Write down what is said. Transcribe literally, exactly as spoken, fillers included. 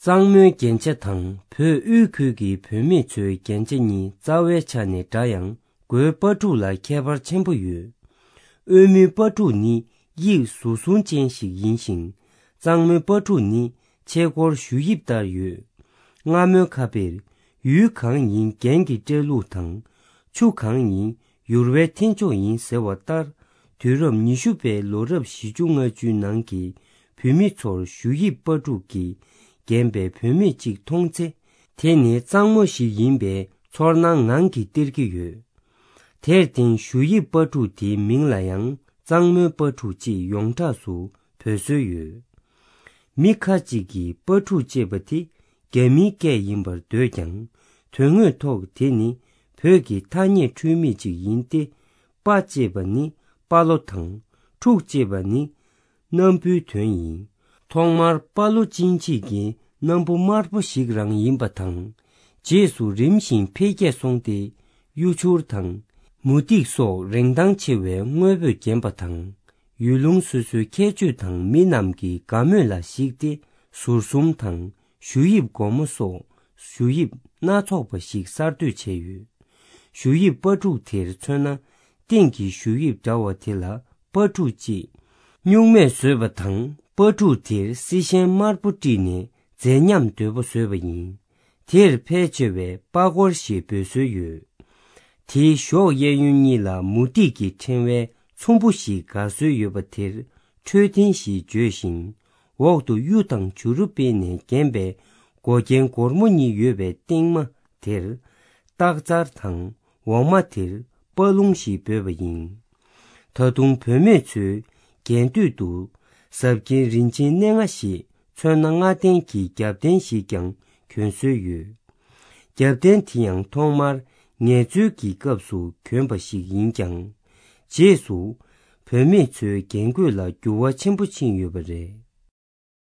གཙང་མོའི་རྒྱན་ཆ་དང་བོད་དབུས་ཁུལ་གྱི་བུད་མེད་ཚོའི་རྒྱན་ཆ་གཉིས་རྩ་བའི་ཆ་ནས་འདྲ་ཡང་། མགོའི་སྤ་ཕྲུག་ལ་ཁྱད་པར་ཆེན་པོ་ཡོད། དབུས་མོའི་སྤ་ཕྲུག་ནི་དབྱིབས་ཟུར་གསུམ་ཅན་ཞིག་ཡིན་ཞིང་། གཙང་མོའི་སྤ་ཕྲུག་ནི་ཆས་སྐོར་གཞུ་དབྱིབས་ལྟར་ཡོད། སྔ་མོའི་ཁ་དཔེར། ཡུལ་གང་ཡིན་རྒྱན་གྱི་སྤྲས་ལུགས་དང་། ཆུ་གང་ཡིན་ཡུར་བའི་འཐེན་ཕྱོགས་ཡིན་ཟེར་བ་ལྟར། དུས་རབས་ཉི་ཤུ་པའི་ལོ་རབས་བཞི་བཅུ་ལྔ་བཅུའི་ནང་གི་བུད་མེད་ཚོར་གཞུ་དབྱིབས་སྤ་ཕྲུག་གིས་བརྒྱན་པའི་བུད་མེད་ཅིག་མཐོང་ཚེ། དེ་ནི་གཙང་མོ་ཞིག་ཡིན་པའི་ཚོར་སྣང་ངང་གིས་སྟེར་གྱི་ཡོད། དེར་བརྟེན་གཞུ་དབྱིབས་སྤ་ཕྲུག་དེའི་མིང་ལ་ཡང་གཙང་མོའི་སྤ་ཕྲུག་ཅེས་ཡོངས་གྲགས་སུ་འབོད་སྲོལ་ཡོད། མི་ཁ་ཅིག་གིས་སྤ་ཕྲུག་ཅེས་པ་དེ་རྒྱ་མིའི་སྐད་ཡིན་པར་འདོད་ཀྱང་། དོན་དངོས་ཐོག་དེ་ནི་བོད་ཀྱི་ཐ་སྙད་འཁྲུལ་མེད་ཅིག་ཡིན་ཏེ། སྤ་ཅེས་པ་ནི་སྤ་ལོ་དང་། ཕྲུག་ཅེས་པ་ནི་སྣམ་བུའི་དོན་ཡིན། ཐོག་མར་སྤ་ལོ་ཅན་ཅིག་གི་སྣམ་བུ་དམར་པོ་ཞིག་རང་ཡིན་པ་དང་། རྗེས་སུ་རིམ་བཞིན་འཕེལ་རྒྱས་སོང་སྟེ། གཡུ་བྱུར་དང་། མུ་ཏིག་སོགས་རིན་ཐང་ཆེ་བའི་དངོས་པོས་བརྒྱན་པ་དང་། ཡུལ་ལུང་སོ་སོའི་ཁྱད་ཆོས་དང་མི་རྣམས་ཀྱི་དགའ་མོས་ལ་གཞིགས་ཏེ། ཟུར་གསུམ་དང་། གཞུ་དབྱིབས་སྒོར་མོ་སོགས་གཞུ་དབྱིབས་སྣ་ཚོགས་པ་ཞིག་གསར་གཏོད་བྱས་ཡོད། གཞུ་དབྱིབས་སྤ་ཕྲུག་དེར་མཚོན་ན། སྟེང་གི་གཞུ་དབྱིབས་འདྲ་བ་དེ་ལ་སྤ་ཕྲུག་ཅེས་སྨྱུག་མས་བཟོས་པ་དང་། སྤ་ཕྲུག་དེར་སྲི་ཤན་དམར་པོ་དཀྲིས་ནས་མཛེས་ཉམས་དོད་པོ་བཟོས་པ་ཡིན། དེར་ཕལ་ཆེ་བས་སྤ་སྐོར་ཞེས་འབོད་སྲོལ་ཡོད། དེའི་གཞོགས་གཡས་གཡོན་གཉིས་ལ་མུ་ཏིག་གི་ཕྲེང་བའི་ཚོམ་བུ་ཞིག་དགར་སྲོལ་ཡོད་པ་དེར་འཕྲོད་བསྟེན་ཞེས་བརྗོད་ཅིང་། འོག་ཏུ་གཡུ་དང་བྱུ་རུ་སྤེལ་ནས་བརྒྱན་པའི་མགོ་རྒྱན་སྒོར་མོ་གཉིས་ཡོད་པའི་སྟེང་མ་དེར། སྟག་རྩར་དང་འོག་མ་དེར་སྤ་ལུང་ཞེས་འབོད་པ་ཡིན། ད་དུང་བུད་མེད་ཚོའི་རྒྱན་སྟོད་དུ་གཟབ་རྒྱན་རིན་ཆེན་སྣེ་ལྔ་ཞེས་མཚོན་སྣ་ལྔ་ལྡན་གྱི་རྒྱབ་རྟེན་ཞིག་ཀྱང་གྱོན་སྲོལ་ཡོད། རྒྱབ་རྟེན་དེ་ཡང་ཐོག་མར་ངལ་རྩོལ་གྱི་སྐབས་སུ་གྱོན་པ་ཞིག་ཡིན་ཀྱང་། རྗེས་སུ་བུད་མེད་ཚོའི་རྒྱན་གོས་ལ་འགྱུར་བ་ཆེན་པོ་ཕྱིན་ཡོད་པ་རེད།